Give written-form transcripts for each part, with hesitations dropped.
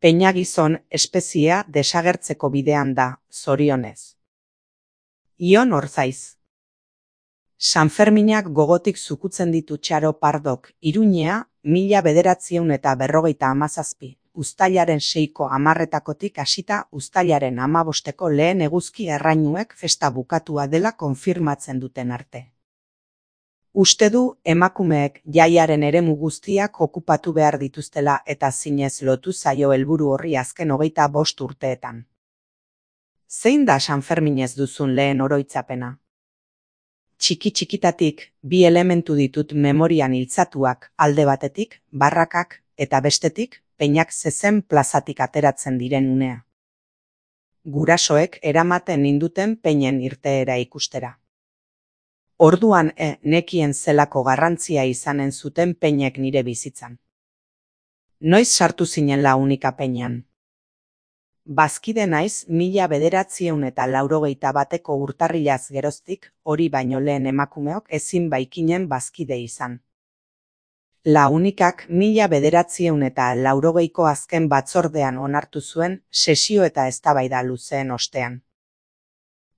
Peina gizon espeziea desagertzeko bidean da, zorionez. Ion Orzaiz. Sanferminak gogotik zukutzen ditu Txaro Pardok Iruñea 1957, uztailaren 6ko 10 hasita uztailaren 15ko lehen eguzki errainuek festa bukatua dela konfirmatzen duten arte. Uste du emakumeek jaiaren eremu guztiak okupatu behar dituztela eta zinez lotu zaio helburu horri azken 25 urteetan. Zein da Sanferminez duzun lehen oroitzapena? Txiki-txikitatik bi elementu ditut memorian iltzatuak, alde batetik, barrakak, eta bestetik, peinak zezen plazatik ateratzen diren unea. Gurasoek eramaten ninduten peinen irteera ikustera. Orduan nekien zelako garrantzia izanen zuten peinek nire bizitzan. Noiz sartu zinen Launika peinan? Bazkide naiz 1981ko urtarrilaz geroztik, hori baino lehen emakumeok ezin baikinen bazkide izan. Launikak 1980ko azken batzordean onartu zuen sesio eta eztabaida luzeen ostean.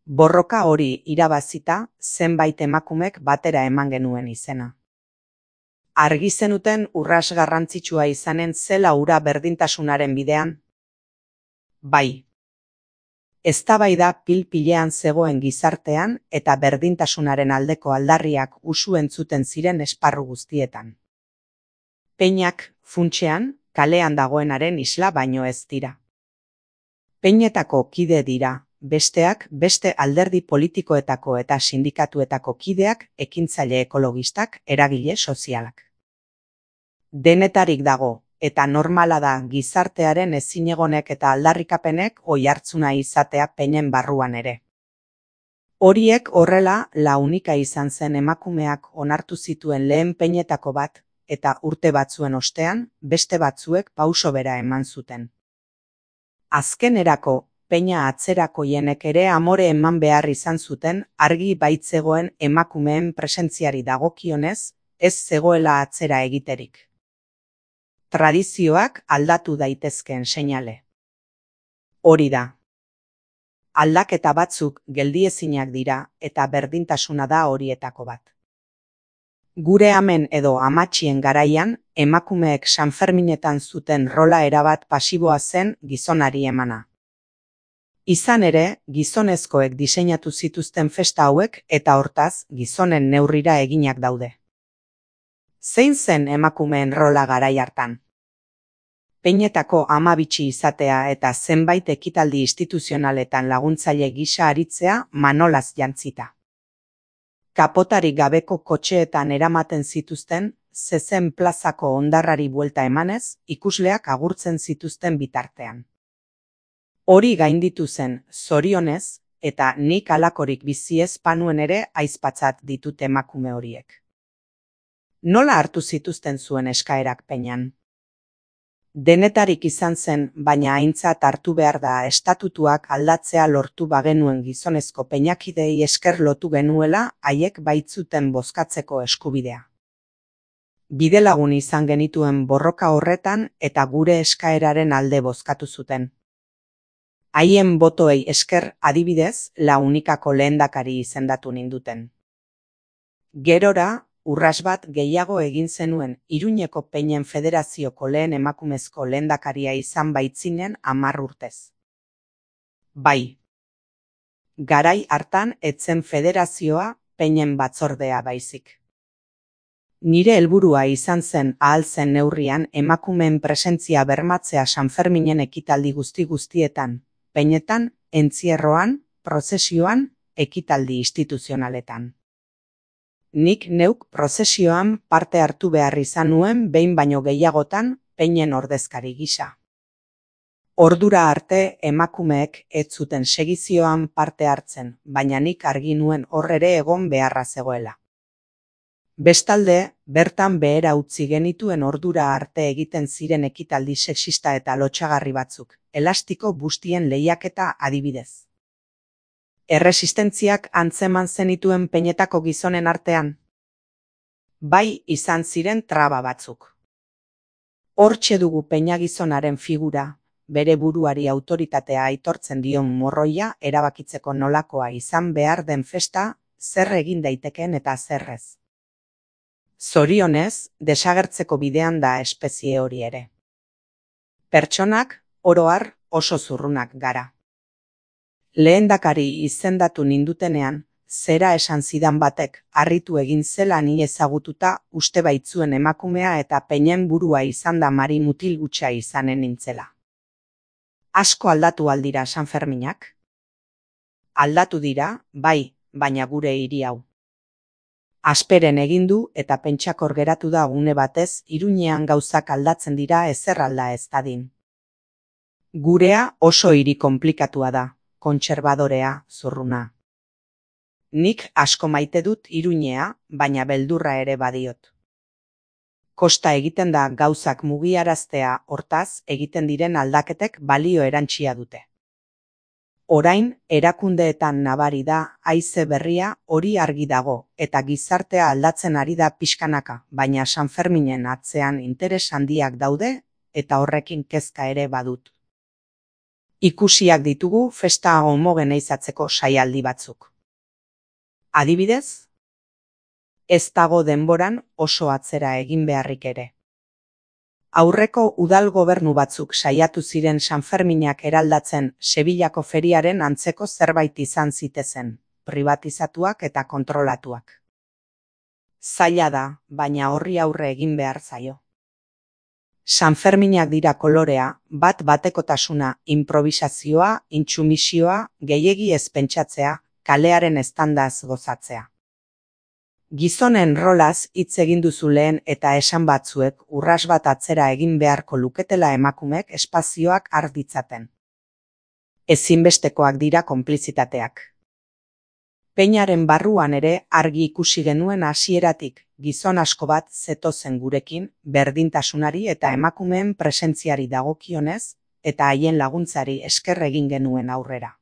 Borroka hori irabazita, zenbait emakumek batera eman genuen izena. Argi zenuten urras garrantzitsua izanen zela hura berdintasunaren bidean? Bai. Eztabaida pil-pilean zegoen gizartean eta berdintasunaren aldeko aldarriak usu entzuten ziren esparru guztietan. Peinak, funtsean, kalean dagoenaren isla baino ez dira. Peinetako kide dira, besteak beste alderdi politikoetako eta sindikatuetako kideak, ekintzaile ekologistak, eragile sozialak. Denetarik dago, eta normala da gizartearen ezinegonek eta aldarrikapenek oihartzuna izatea peinen barruan ere. Horiek horrela Launika izan zen emakumeak onartu zituen lehen peinetako bat, eta urte batzuen ostean, beste batzuek pauso bera eman zuten. Azkenerako, peina atzerakoienek ere amore eman behar izan zuten argi baitzegoen emakumeen presentziari dagokionez, ez zegoela atzera egiterik. Tradizioak aldatu daitezkeen seinale. Hori da. Aldaketa batzuk geldiezinak dira eta berdintasuna da horietako bat. Gure amen edo amatxien garaian, emakumeek Sanferminetan zuten rola erabat pasiboa zen gizonari emana. Izan ere, gizonezkoek diseinatu zituzten festa hauek eta hortaz gizonen neurrira eginak daude. Zein zen emakumeen rola garai hartan? Peinetako ama bitxi izatea eta zenbait ekitaldi instituzionaletan laguntzaile gisa aritzea manolaz jantzita. Kapotarik gabeko kotxeetan eramaten zituzten, zezen plazako hondarrari buelta emanez, ikusleak agurtzen zituzten bitartean. Hori gainditu zen, zorionez, eta nik halakorik bizi ez panuen ere aizpatzat ditut emakume horiek. Nola hartu zituzten zuen eskaerak peinan? Denetarik izan zen, baina aintzat hartu behar da estatutuak aldatzea lortu bagenuen gizonezko peinakidei esker lotu genuela haiek baitzuten bozkatzeko eskubidea. Bidelagun izan genituen borroka horretan eta gure eskaeraren alde bozkatu zuten. Haien botoei esker adibidez Launikako lehendakari izendatu ninduten. Gerora, urras bat gehiago egin zenuen Iruñeko Peinen Federazioko lehen emakumezko lehendakaria izan baitzinen 10 urtez. Bai. Garai hartan etzen federazioa peinen batzordea baizik. Nire helburua izan zen ahal zen neurrian emakumeen presentzia bermatzea Sanferminen ekitaldi guztietan, peinetan, entzierroan, prozesioan, ekitaldi instituzionaletan. Nik neuk prozesioan parte hartu behar izan nuen behin baino gehiagotan peinen ordezkari gisa. Ordura arte emakumeek ez zuten segizioan parte hartzen, baina nik argi nuen horrere egon beharra zegoela. Bestalde, bertan behera utzi genituen ordura arte egiten ziren ekitaldi sexista eta lotsagarri batzuk, elastiko bustien lehiaketa adibidez. Erresistentziak antzeman zenituen peinetako gizonen artean? Bai izan ziren traba batzuk. Hortxe dugu peina gizonaren figura, bere buruari autoritatea aitortzen dion morroia erabakitzeko nolakoa izan behar den festa, zer egin daitekeen eta zer ez. Zorionez, desagertzeko bidean da espezie hori ere. Pertsonak, oro har, oso zurrunak gara. Lehendakari izendatu nindutenean, zera esan zidan batek harritu egin zela ni ezagututa uste baitzuen emakumea eta peinen burua izan da Mari mutil hutsa izanen nintzela. Asko aldatu aldira Sanferminak? Aldatu dira, bai, baina gure hiri hau. Asperen egin du eta pentsakor geratu da une batez Iruñean gauzak aldatzen dira ezer alda ez dadin. Gurea oso hiri konplikatua da, kontserbadorea, zurruna. Nik asko maite dut Iruñea, baina beldurra ere badiot. Kosta egiten da gauzak mugiaraztea, hortaz egiten diren aldaketek balio erantsia dute. Orain, erakundeetan nabari da haize berria hori argi dago eta gizartea aldatzen ari da pixkanaka, baina Sanferminen atzean interes handiak daude eta horrekin kezka ere badut. Ikusiak ditugu festa homogeneizatzeko saialdi batzuk. Adibidez, ez dago denboran oso atzera egin beharrik ere. Aurreko udal gobernu batzuk saiatu ziren Sanferminak eraldatzen Sevillako feriaren antzeko zerbait izan zitezen, privatizatuak eta kontrolatuak. Zaila da, baina horri aurre egin behar zaio. Sanferminak dira kolorea, bat-batekotasuna, improvisazioa, intsumisioa, gehiegi ez pentsatzea, kalearen eztandaz gozatzea. Gizonen rolaz hitz egin duzu lehen eta esan batzuek urras bat atzera egin beharko luketela emakumeek espazioak har ditzaten. Ezinbestekoak dira konplizitateak. Peinaren barruan ere argi ikusi genuen hasieratik gizon asko bat zetozen gurekin berdintasunari eta emakumeen presentziari dagokionez eta haien laguntzari esker egin genuen aurrera.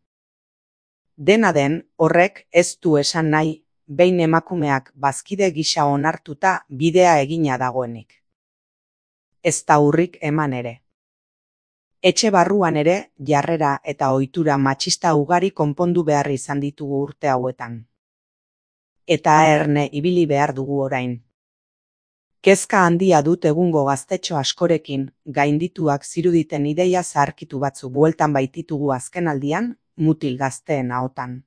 Dena den, horrek ez du esan nahi behin emakumeak bazkide gisa onartuta bidea egina dagoenik. Ez da urrik eman ere. Etxe barruan ere jarrera eta ohitura matxista ugari konpondu behar izan ditugu urte hauetan. Eta erne ibili behar dugu orain. Kezka handia dut egungo gaztetxo askorekin gaindituak ziruditen ideia zaharkitu batzu bueltan baititugu azkenaldian mutil gazteen ahotan.